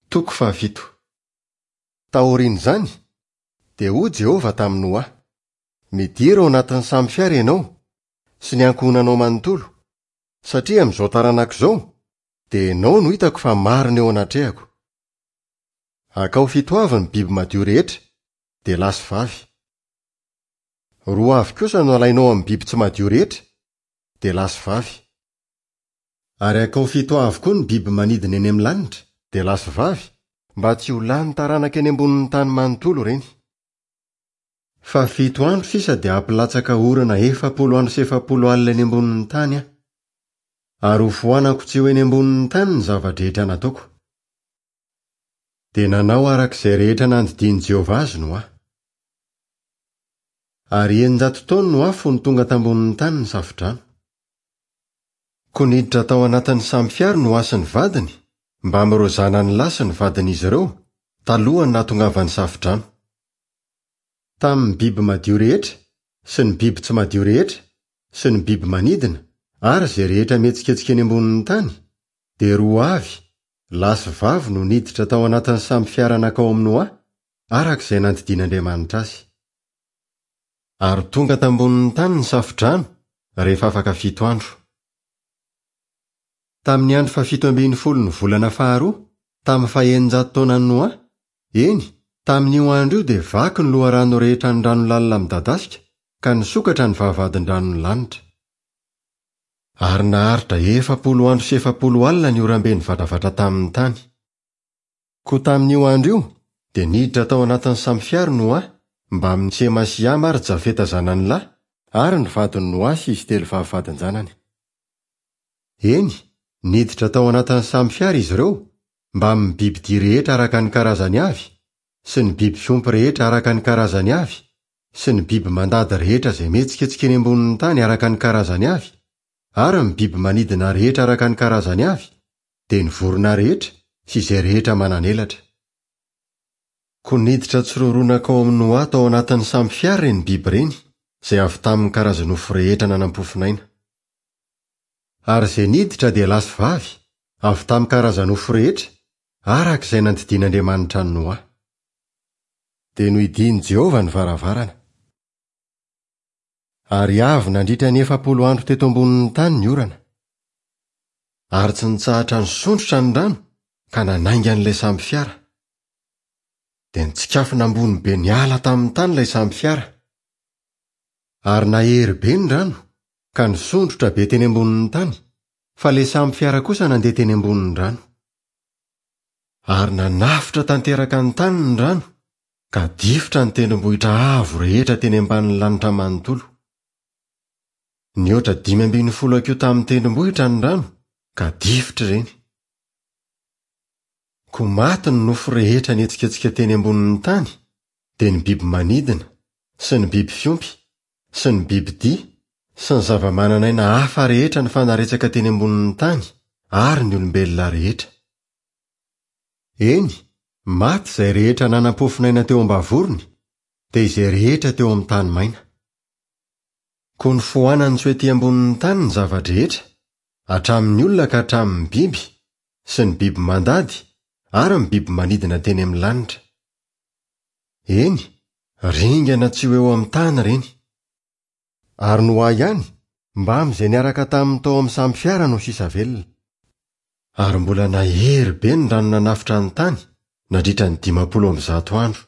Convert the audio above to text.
Toko faha-7. Taorian'izany, dia hoy Jehovah tamin'i Noa, Midira ao anatin'ny samy fiara ianao, sy ny ankohonanao manontolo, satria amin'izao taranaka izao, dia ianao no hitako fa marina eo anatrehako. Akao fito avy ny biby madio rehetra, dia lahy sy vavy. Roa avy kosa no alainao amin'ny biby tsy madio rehetra, dia lahy sy vavy. Ary akao fito avy koa ny biby manidina eny amin'ny lanitra, dia lahy sy vavy, mba tsy ho lany taranaka eny ambonin'ny tany manontolo ireny. Fa fito andro sisa dia hampilatsaka orana 40 andro sy 40 alina eny ambonin'ny tany aho. Ary hofoanako tsy ho eny ambonin'ny tany ny zava-drehetra nataoko. Dia nanao araka izay rehetra nandidian'i Jehovah azy Noa. Ary 600 taona Noa fony tonga tambonin'ny tany ny safodrano. Koa niditra tao anatin'ny samy fiara Noa sy ny vadiny, mbamin'ireo zanany lahy sy ny vadin'izy ireo, talohan'ny nahatongavan'ny safodrano. Tamin'ny biby madio rehetra, sy ny biby tsy madio rehetra, sy ny biby manidina, ary izay rehetra mihetsiketsika eny ambonin'ny tany, dia roa avy, lahy sy vavy no niditra tao anatin'ny samy fiara nankao amin'i Noa, araka izay nandidian'Andriamanitra azy. Ary tonga tambonin'ny tany ny safodrano rehefa afaka fito andro. Tamin'ny andro fahafito ambin'ny folon'ny volana faharoa, tamin'ny faheninjato taonan'i Noa, eny, tamin'io andro io dia vaky ny loharano rehetra ny rano lalina midadasika ka nisokatra ny vavahadin-dranon'ny lanitra. Ary naharitra 40 andro sy 40 alina ny oram-be nivatravatra tamin'ny tany. Koa tamin'io andro io, dia niditra tao anatin'ny samy fiara Noa, mbamin'i Sema sy Hama ary Jafeta zanany lahy, ary ny vadin'i Noa sy izy telo vavy vadin-janany. Eny, niditra tao anatin'ny samy fiara izy ireo, mbamin'ny bibidia rehetra araka ny karazany avy, sy ny biby fiompy rehetra araka ny karazany avy, sy ny biby mandady rehetra izay mihetsiketsika eny ambonin'ny tany araka ny karazany avy, ary ny biby manidina rehetra araka ny karazany avy, dia ny vorona rehetra sy izay rehetra manan'elatra. Koa niditra tsiroaroa nankao amin'i Noa tao anatin'ny samy fiara ireny biby ireny, izay avy tamin'ny karaza-nofo rehetra nanam-pofon'aina. Ary izay niditra dia lahy sy vavy, avy tamin'ny karaza-nofo rehetra, araka izay nandidian'Andriamanitra an'i Noa. Dia nohidian'i Jehovah ny varavarana. Ary avy nandritra ny 40 andro teto ambonin'ny tany ny orana. Ary tsy nitsahatra nisondrotra ny rano ka nanainga an'ilay sambo fiara. Dia nitsikafona ambony be niala tamin'ny tany ilay sambo fiara. Ary nahery be ny rano ka nisondrotra be teny ambonin'ny tany, fa ilay sambo fiara kosa nandeha teny ambonin'ny rano. Ary nanafotra tanteraka ny tany ny rano ka difotra ny tendrombohitra avo rehetra teny ambanin'ny lanitra manontolo. Nihoatra 15 hakiho tamin'ny tendrombohitra ny rano ka difotra ireny. Koa maty ny nofo rehetra nihetsiketsika teny ambonin'ny tany, dia ny biby manidina, sy ny biby fiompy, sy ny bibidia, sy ny zava-manan'aina hafa rehetra nifanaretsaka teny ambonin'ny tany, ary ny olombelona rehetra. Eny, maty izay rehetra nanam-pofon'aina teo am-bavorony, dia izay rehetra teo amin'ny tany maina. Koa nofoanany tsy ho ety ambonin'ny tany ny zava-drehetra, hatramin'ny olona ka hatramin'ny biby, sy ny biby mandady, ary ny biby manidina teny amin'ny lanitra. Eny, ringana tsy ho eo amin'ny tany ireny. Ary Noa ihany, mbamin'izay niaraka taminy tao amin'ny samy fiara no sisa velona. Ary mbola nahery be ny rano nanafotra ny tany, nandritra ny 150 andro.